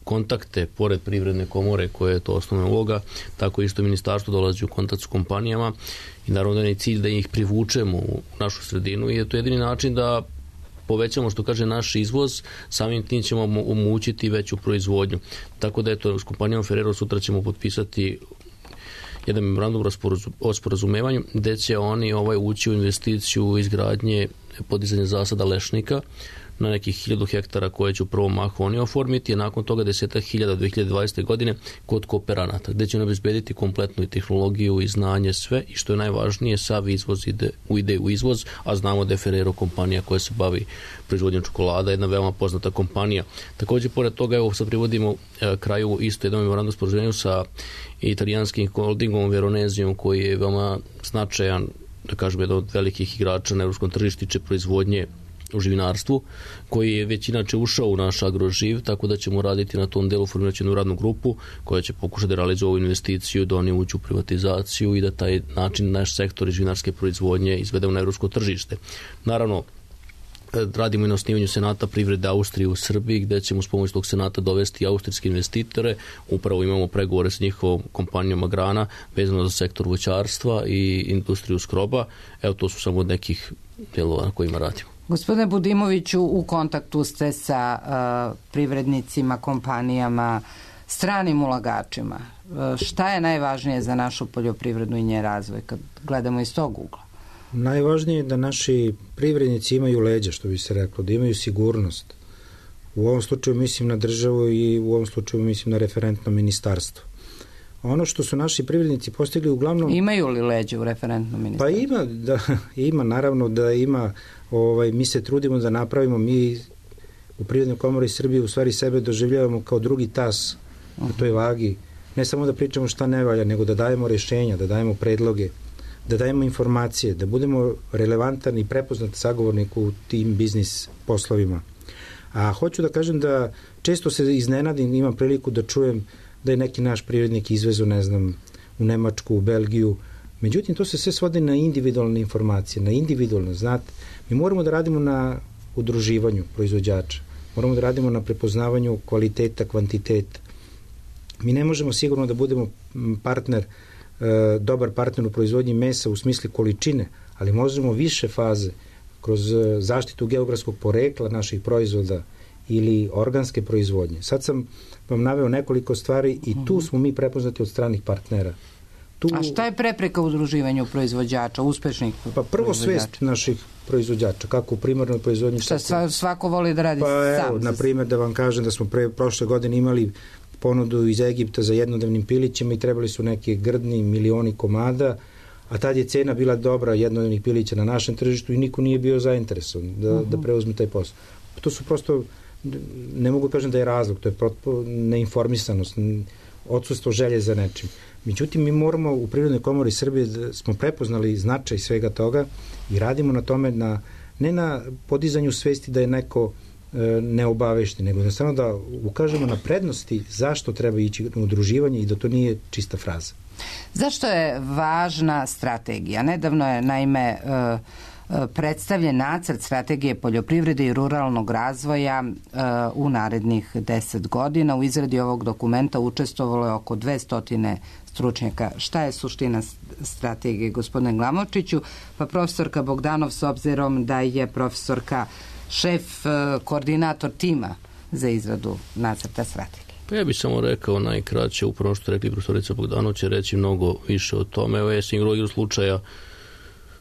kontakte pored Privredne komore koje je to osnovna uloga, tako isto ministarstvo dolazi u kontakt s kompanijama i naravno da je cilj da ih privučemo u našu sredinu i je to jedini način da povećamo, što kaže, naš izvoz, samim tim ćemo omogućiti veću proizvodnju. Tako da eto, s kompanijom Ferrero sutra ćemo potpisati jedan memorandum o sporazumevanju gde će oni ući u investiciju izgradnje podizanja zasada lešnika na nekih 1000 hektara koje će u prvom mahu oni oformiti, a nakon toga 10.000 2020. godine kod kooperanata, gde će obezbediti kompletnu i tehnologiju i znanje sve i što je najvažnije, sav izvoz ide u izvoz, a znamo da je Ferrero kompanija koja se bavi proizvodnjom čokolada, jedna veoma poznata kompanija. Također, pored toga, evo sad privodimo kraju isto jedan memorandum o sporazumevanju sa italijanskim holdingom Veronezijom koji je veoma značajan, da kažem, jedan od velikih igrača na evropskom tržištu proizvodnje u živinarstvu, koji je već inače ušao u naš agroživ, tako da ćemo raditi na tom delu, formirati jednu radnu grupu koja će pokušati da realizuje ovu investiciju, da oni uđu u privatizaciju i da taj način naš sektor živinarske proizvodnje izvedemo na evropsko tržište. Naravno, radimo i na osnivanju Senata privrede Austrije u Srbiji, gde ćemo s pomoć tog Senata dovesti austrijske investitore. Upravo imamo pregovore sa njihovom kompanijom Agrana vezano za sektor voćarstva i industriju skroba. Evo, to su samo od nekih delova na kojima radimo. Gospodine Budimoviću, u kontaktu ste sa privrednicima, kompanijama, stranim ulagačima. Šta je najvažnije za našu poljoprivredu i njen razvoj kad gledamo iz tog ugla? Najvažnije je da naši privrednici imaju leđa, što bi se reklo, da imaju sigurnost. U ovom slučaju mislim na državu i u ovom slučaju mislim na referentno ministarstvo. Ono što su naši privrednici postigli uglavnom... Imaju li leđa u referentnom ministarstvu? Pa ima, naravno da ima. Mi se trudimo da napravimo, mi u Privrednoj komori Srbije u stvari sebe doživljavamo kao drugi tas na toj vagi. Ne samo da pričamo šta ne valja, nego da dajemo rješenja, da dajemo predloge, da dajemo informacije, da budemo relevantan i prepoznat sagovornik u tim biznis poslovima. A hoću da kažem da često se iznenadim, imam priliku da čujem da je neki naš privrednik izvezu, ne znam, u Nemačku, u Belgiju. Međutim, to se sve svodi na individualne informacije, na individualno, znate. Mi moramo da radimo na udruživanju proizvođača, moramo da radimo na prepoznavanju kvaliteta, kvantiteta. Mi ne možemo sigurno da budemo dobar partner u proizvodnji mesa u smislu količine, ali možemo više faze kroz zaštitu geografskog porekla naših proizvoda ili organske proizvodnje. Sad sam vam naveo nekoliko stvari i tu smo mi prepoznati od stranih partnera. A šta je prepreka u udruživanju proizvođača, uspešnih proizvođača? Pa prvo svest naših proizvođača, kako u primarnoj proizvodnji... Šta svako voli da radi sam? Pa evo, na primjer, da vam kažem da smo prošle godine imali ponudu iz Egipta za jednodnevnim pilićima i trebali su neki grdni milioni komada, a tad je cena bila dobra jednodnevnih pilića na našem tržištu i niko nije bio zainteresovan da preuzme taj posao. To su prosto, ne mogu kažem da je razlog, to je neinformisanost, odsustvo želje za nečim. Međutim, mi moramo u Privrednoj komori Srbije da smo prepoznali značaj svega toga i radimo na tome, ne na podizanju svesti da je neko neobavešti, nego jednostavno da ukažemo na prednosti zašto treba ići na udruživanje i da to nije čista fraza. Zašto je važna strategija? Nedavno je, naime, predstavljen nacrt strategije poljoprivrede i ruralnog razvoja u narednih 10 godina. U izradi ovog dokumenta učestvovalo je oko 200 stručnjaka. Šta je suština strategije, gospodine Glamočiću? Pa profesorka Bogdanov, s obzirom da je profesorka šef, koordinator tima za izradu nacrta strategije. Pa ja bih samo rekao najkraće, upravo što rekli profesorica Bogdanov će reći mnogo više o tome. Evo ja sam igrao slučaja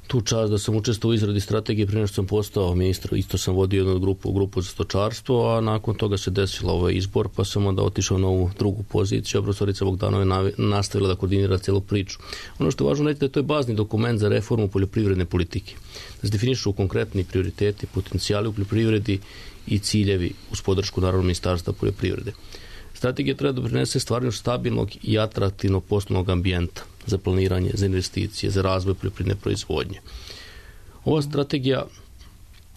tu čast da sam učestvovao u izradi strategije prije što sam postao ministar. Isto sam vodio jednu grupu za stočarstvo, a nakon toga se desila ovaj izbor, pa sam onda otišao na ovu drugu poziciju, a profesorica Bogdanov je nastavila da koordinira celu priču. Ono što je važno reći da to je bazni dokument za reformu poljoprivredne politike. Da se definišu konkretni prioriteti, potencijali u poljoprivredi i ciljevi uz podršku naravno Ministarstva poljoprivrede. Strategija treba da doprinese stvaranju stabilnog i atraktivnog poslovnog ambijenta za planiranje, za investicije, za razvoj poljoprivredne proizvodnje. Ova strategija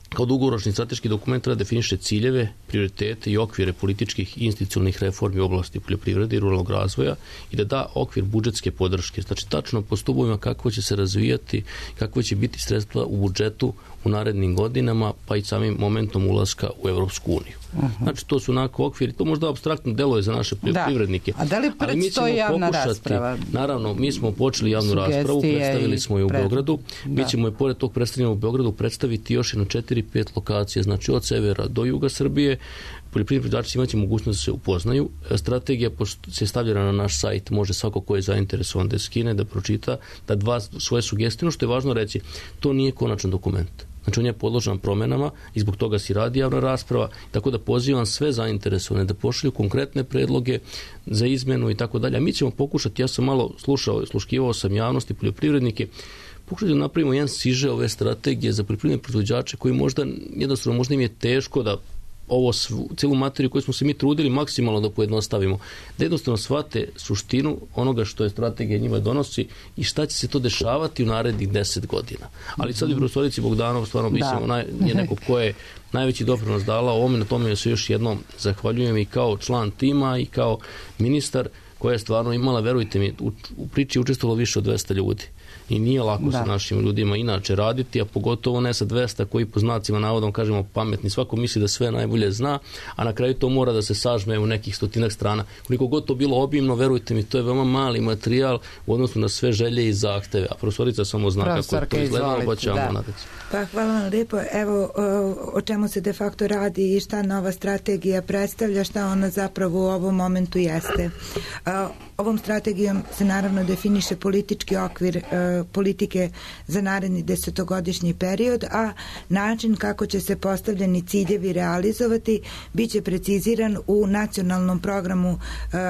kao dugoročni strateški dokument treba definiše ciljeve, prioritete i okvire političkih i institucionalnih reformi u oblasti poljoprivrede i ruralnog razvoja i da da okvir budžetske podrške. Znači tačno po stubovima kako će se razvijati, kako će biti sredstva u budžetu u narednim godinama, pa i samim momentom ulaska u Evropsku uniju. Znači to su onako okviri, to možda apstraktno deluje za naše poljoprivrednike. Da. A da li predstoji javna rasprava? Naravno, mi smo počeli javnu raspravu, predstavili smo je u Beogradu. Mi ćemo je pored tog predstavljanja u Beogradu predstaviti još jedno 4-5 lokacija, znači od severa do juga Srbije. Poljoprivredni proizvođači imaće mogućnost da se upoznaju. Strategija se stavljena na naš sajt, može svako ko je zainteresovan da skine, da pročita, da da svoje sugestije. Ono što je važno reći, to nije konačan dokument. Znači on je podložan promenama i zbog toga se radi javna rasprava, tako da pozivam sve zainteresovane da pošalju konkretne predloge za izmenu i tako dalje. A mi ćemo pokušati, ja sam malo sluškivao sam javnosti, poljoprivrednike, pokušati da napravimo jedan siže ove strategije za poljoprivredne proizvođače koji možda im je teško da ovo cijelu materiju koju smo se mi trudili maksimalno da pojednostavimo, da jednostavno shvate suštinu onoga što je strategija njima donosi i šta će se to dešavati u narednih 10 godina. Ali sad i profesorici Bogdanov stvarno mislimo je neko ko je najveći doprinos dala ovome, na tome se još jednom zahvaljujem i kao član tima i kao ministar koja je stvarno imala, verujte mi, u priči učestvovalo više od 200 ljudi. I nije lako sa našim ljudima inače raditi, a pogotovo ne sa 200 koji po znacima navodom kažemo pametni. Svako misli da sve najbolje zna, a na kraju to mora da se sažme u nekih 100 strana. Koliko god to bilo obimno, verujte mi, to je veoma mali materijal u odnosu na sve želje i zahteve. A profesorica samo zna kako je to izgledalo, pa ćemo nadati. Pa hvala vam lijepo. Evo o čemu se de facto radi i šta nova strategija predstavlja, šta ona zapravo u ovom momentu jeste. Ovom strategijom se naravno definiše politički okvir politike za naredni 10-godišnji period, a način kako će se postavljeni ciljevi realizovati biće preciziran u nacionalnom programu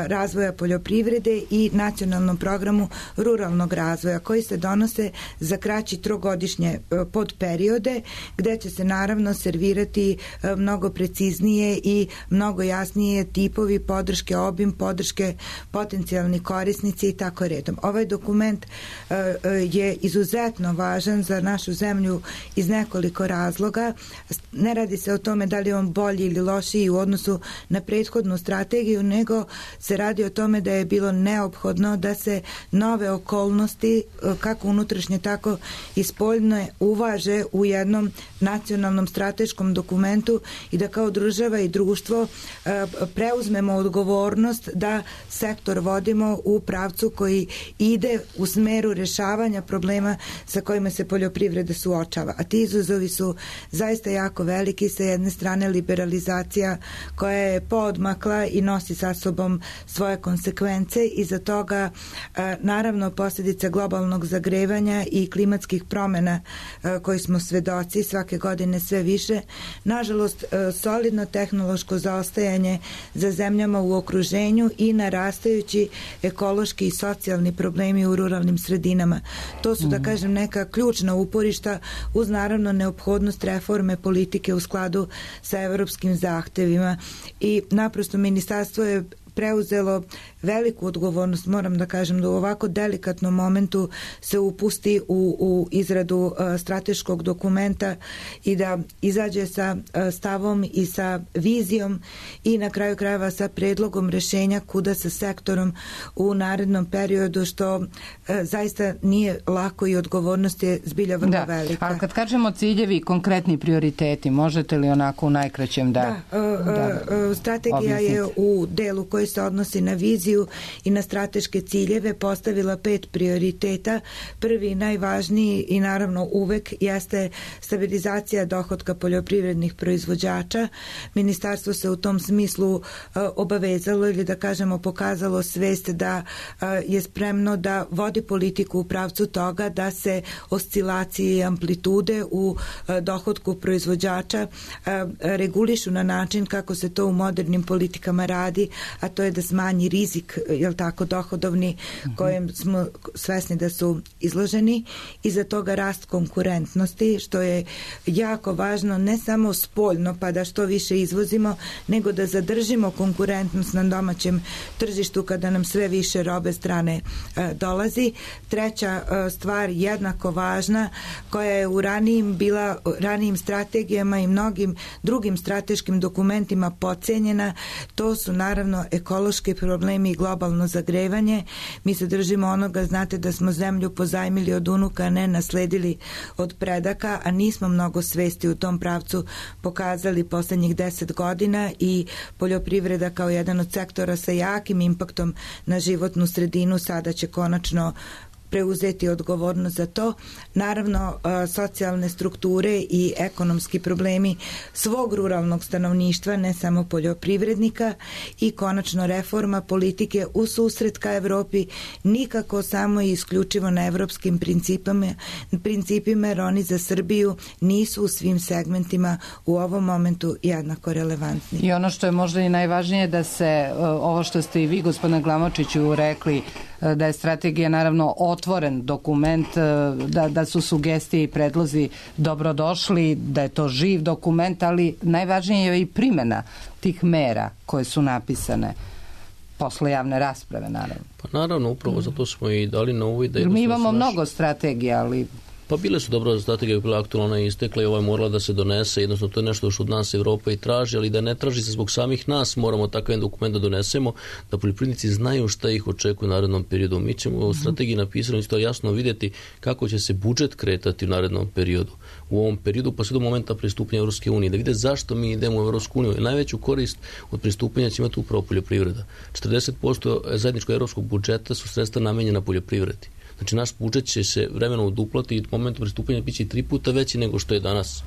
razvoja poljoprivrede i nacionalnom programu ruralnog razvoja koji se donose za kraći 3-godišnje podperiode gde će se naravno servirati mnogo preciznije i mnogo jasnije tipovi podrške, obim podrške, potencijalni korisnici i tako redom. Ovaj dokument je izuzetno važan za našu zemlju iz nekoliko razloga. Ne radi se o tome da li je on bolji ili lošiji u odnosu na prethodnu strategiju, nego se radi o tome da je bilo neophodno da se nove okolnosti, kako unutrašnje, tako i spoljne, uvaže u jednom nacionalnom strateškom dokumentu i da kao država i društvo preuzmemo odgovornost da sektor vodimo u pravcu koji ide u smeru rešavanja problema sa kojima se poljoprivreda suočava. A ti izazovi su zaista jako veliki. Sa jedne strane liberalizacija koja je poodmakla i nosi sa sobom svoje konsekvence i za toga naravno posljedice globalnog zagrevanja i klimatskih promjena koji smo svedoci svake godine sve više. Nažalost, solidno tehnološko zaostajanje za zemljama u okruženju i narastajući ekološki i socijalni problemi u ruralnim sredinama. To su, da kažem, neka ključna uporišta uz naravno neophodnost reforme politike u skladu sa evropskim zahtevima i naprosto ministarstvo je preuzelo veliku odgovornost, moram da kažem, da u ovako delikatnom momentu se upusti u izradu strateškog dokumenta i da izađe sa stavom i sa vizijom i na kraju krajeva sa predlogom rešenja kuda sa sektorom u narednom periodu, što zaista nije lako i odgovornost je zbilja vrlo velika. A kad kažemo ciljevi, konkretni prioriteti, možete li onako u najkraćem strategija je u delu koji se odnosi na viziju i na strateške ciljeve postavila 5 prioriteta. Prvi, najvažniji i naravno uvek jeste stabilizacija dohotka poljoprivrednih proizvođača. Ministarstvo se u tom smislu obavezalo ili da kažemo pokazalo svest da je spremno da vodi politiku u pravcu toga da se oscilacije i amplitude u dohotku proizvođača regulišu na način kako se to u modernim politikama radi, a to je da smanji rizik, jel tako, dohodovni kojem smo svesni da su izloženi, i za toga rast konkurentnosti, što je jako važno ne samo spoljno pa da što više izvozimo, nego da zadržimo konkurentnost na domaćem tržištu kada nam sve više robe strane dolazi. Treća stvar jednako važna, koja je u ranijim strategijama i mnogim drugim strateškim dokumentima podcenjena, to su naravno ekološki problemi i globalno zagrevanje. Mi se držimo onoga, znate da smo zemlju pozajmili od unuka, a ne nasledili od predaka, a nismo mnogo svesti u tom pravcu pokazali poslednjih 10 godina i poljoprivreda kao jedan od sektora sa jakim impaktom na životnu sredinu sada će konačno preuzeti odgovornost za to. Naravno, socijalne strukture i ekonomski problemi svog ruralnog stanovništva, ne samo poljoprivrednika, i konačno reforma politike u susret ka Evropi, nikako samo i isključivo na evropskim principima, jer oni za Srbiju nisu u svim segmentima u ovom momentu jednako relevantni. I ono što je možda i najvažnije, da se ovo što ste i vi, gospodine Glamočiću, rekli, da je strategija naravno otvoren dokument, da su sugestije i predlozi dobrodošli, da je to živ dokument, ali najvažnije je i primjena tih mera koje su napisane posle javne rasprave, naravno. Pa naravno, upravo zato smo i dali na uvid. Mi imamo mnogo strategija, ali... Pa bile su dobro, strategija je bila aktualna, ona je istekla i ova je morala da se donese, jednostavno to je nešto što od nas Evropa i traži, ali da ne traži se zbog samih nas, moramo takav jedan dokument da donesemo, da poljoprivrednici znaju šta ih očekuje u narednom periodu. Mi ćemo u strategiji napisano isto jasno vidjeti kako će se budžet kretati u narednom periodu. U ovom periodu pa sve do momenta pristupanja Evropske unije, da vide zašto mi idemo u Evropsku uniju. Najveću korist od pristupanja će imati upravo poljoprivreda. 40% zajedničkog evropskog budžeta su sredstva namenjena poljoprivredi. Znači, naš budžet će se vremenom uduplati i u momentu pristupanja biće 3 puta veći nego što je danas.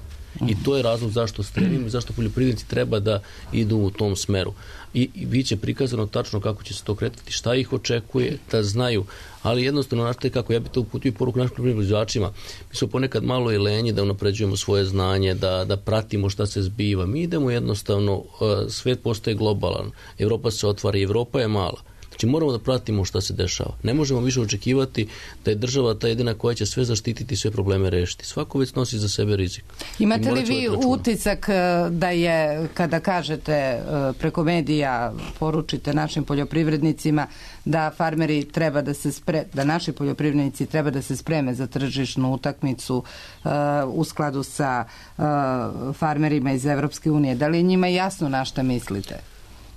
I to je razlog zašto stremimo i zašto poljoprivrednici treba da idu u tom smeru. I biće prikazano tačno kako će se to kretati, šta ih očekuje, da znaju. Ali jednostavno, našte kako, ja bih to uputio i poruku našim proizvođačima. Mi smo ponekad malo i lenji da unapređujemo svoje znanje, da pratimo šta se zbiva. Mi idemo jednostavno, svet postaje globalan, Evropa se otvara i Evropa je mala. Znači moramo da pratimo šta se dešava. Ne možemo više očekivati da je država ta jedina koja će sve zaštititi i sve probleme rešiti. Svako već nosi za sebe rizik. Imate li vi utisak da je, kada kažete preko medija, poručite našim poljoprivrednicima da farmeri treba da se da naši poljoprivrednici treba da se spreme za tržišnu utakmicu u skladu sa farmerima iz Evropske unije? Da li je njima jasno na šta mislite?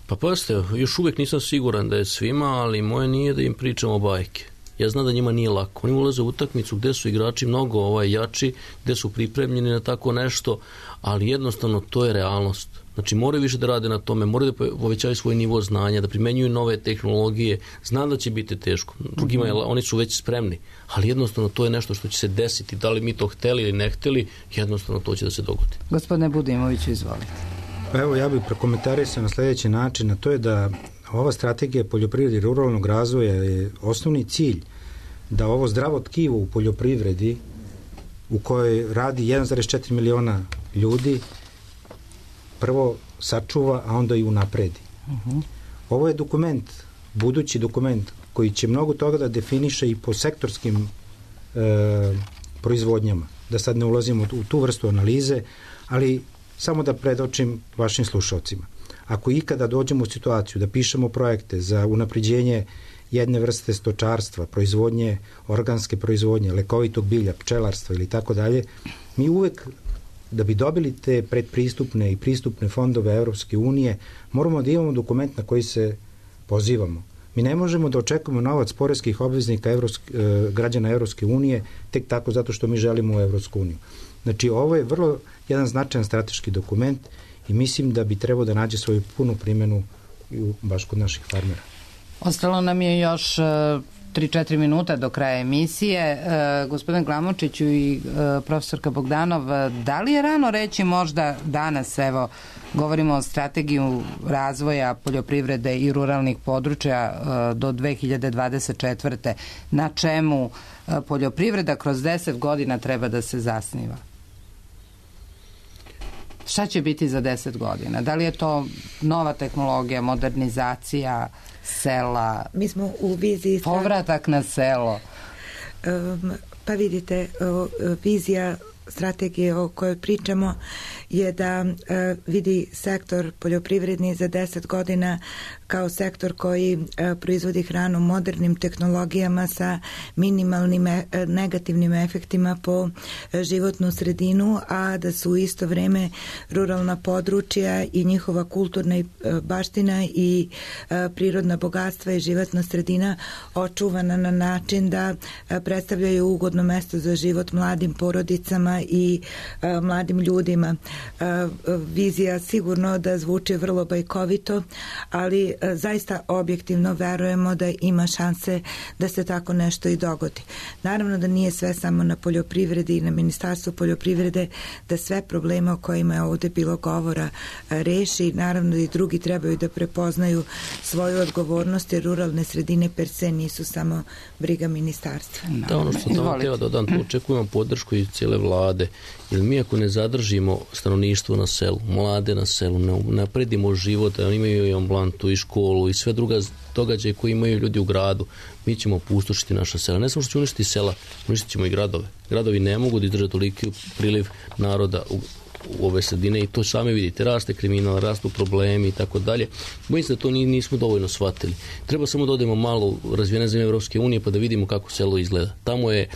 Pa pazite, još uvijek nisam siguran da je svima, ali moje nije da im pričamo bajke. Ja znam da njima nije lako. Oni ulaze u utakmicu gde su igrači mnogo jači, gde su pripremljeni na tako nešto, ali jednostavno to je realnost. Znači moraju više da rade na tome, moraju da povećaju svoj nivo znanja, da primenjuju nove tehnologije. Znam da će biti teško. Drugima oni su već spremni, ali jednostavno to je nešto što će se desiti. Da li mi to hteli ili ne hteli, jednostavno to će da se dogodi. Gospodine Budimoviću, izvolite. Evo, ja bih prokomentarisao na sljedeći način, a to je da ova strategija poljoprivrede i ruralnog razvoja je osnovni cilj da ovo zdravo tkivo u poljoprivredi u kojoj radi 1,4 miliona ljudi prvo sačuva, a onda i unapredi. Ovo je dokument, budući dokument koji će mnogo toga da definiše i po sektorskim proizvodnjama. Da sad ne ulazimo u tu vrstu analize, ali samo da predočim vašim slušalcima. ako ikada dođemo u situaciju da pišemo projekte za unapređenje jedne vrste stočarstva, proizvodnje, organske proizvodnje, lekovitog bilja, pčelarstva ili tako dalje, mi uvek, da bi dobili te predpristupne i pristupne fondove Evropske unije, moramo da imamo dokument na koji se pozivamo. Mi ne možemo da očekujemo novac poreskih obveznika građana Evropske unije tek tako zato što mi želimo u Evropsku uniju. Znači, ovo je vrlo jedan značajan strateški dokument i mislim da bi trebao da nađe svoju punu primjenu baš kod naših farmera. Ostalo nam je još 3-4 minuta do kraja emisije. Gospodin Glamočiću i profesorka Bogdanov, da li je rano reći možda danas, evo, govorimo o strategiju razvoja poljoprivrede i ruralnih područja do 2024. Na čemu poljoprivreda kroz 10 godina treba da se zasniva? Šta će biti za 10 godina? Da li je to nova tehnologija, modernizacija sela, mi smo u viziji povratak na selo? Pa vidite, vizija strategije o kojoj pričamo je da vidi sektor poljoprivredni za 10 godina kao sektor koji proizvodi hranu modernim tehnologijama sa minimalnim negativnim efektima po životnu sredinu, a da su u isto vreme ruralna područja i njihova kulturna baština i prirodna bogatstva i životna sredina očuvana na način da predstavljaju ugodno mesto za život mladim porodicama i mladim ljudima. Vizija sigurno da zvuči vrlo bajkovito, ali zaista objektivno verujemo da ima šanse da se tako nešto i dogodi. Naravno da nije sve samo na poljoprivredi i na Ministarstvu poljoprivrede da sve probleme o kojima je ovde bilo govora reši. Naravno da i drugi trebaju da prepoznaju svoju odgovornost, jer ruralne sredine per se nisu samo briga ministarstva. Da, ono što sam htio dodam, očekujemo podršku i cijele vlade, jer mi ako ne zadržimo stanovništvo na selu, mlade na selu, ne napredimo život, da imaju i ambulantu i školu i sve druga događaje koje imaju ljudi u gradu, mi ćemo opustošiti naša sela. Ne samo što će uništiti sela, uništit ćemo i gradove. Gradovi ne mogu da izdrže toliki priliv naroda u ove sredine i to sami vidite, raste kriminal, rastu problemi i tako dalje. Bojim se da to nismo dovoljno shvatili. Treba samo da odemo malo u razvijene zemlje Evropske unije pa da vidimo kako selo izgleda. Tamo je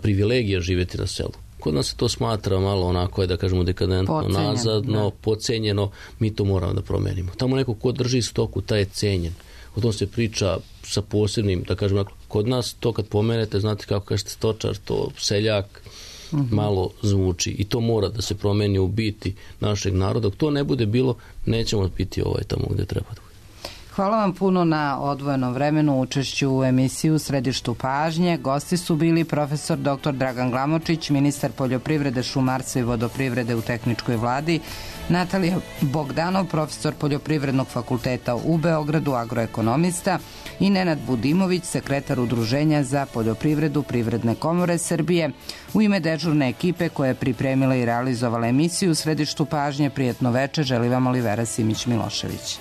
privilegija živjeti na selu. Kod nas se to smatra malo onako, da kažemo dekadentno, nazadno, podcenjeno, mi to moramo da promenimo. Tamo neko ko drži stoku, taj je cenjen. O tom se priča sa posebnim, da kažem, kod nas to kad pomenete, znate kako kažete stočar, to seljak, malo zvuči i to mora da se promeni u biti našeg naroda. Dok to ne bude bilo, nećemo biti tamo gde treba da bude. Hvala vam puno na odvojenom vremenu, učešću u emisiju Središtu pažnje. Gosti su bili profesor dr. Dragan Glamočić, ministar poljoprivrede, šumarstva i vodoprivrede u tehničkoj vladi, Natalija Bogdanov, profesor Poljoprivrednog fakulteta u Beogradu, agroekonomista, i Nenad Budimović, sekretar Udruženja za poljoprivredu Privredne komore Srbije. U ime dežurne ekipe koja je pripremila i realizovala emisiju Središtu pažnje, prijetno veče, želi vam Olivera Simić-Milošević.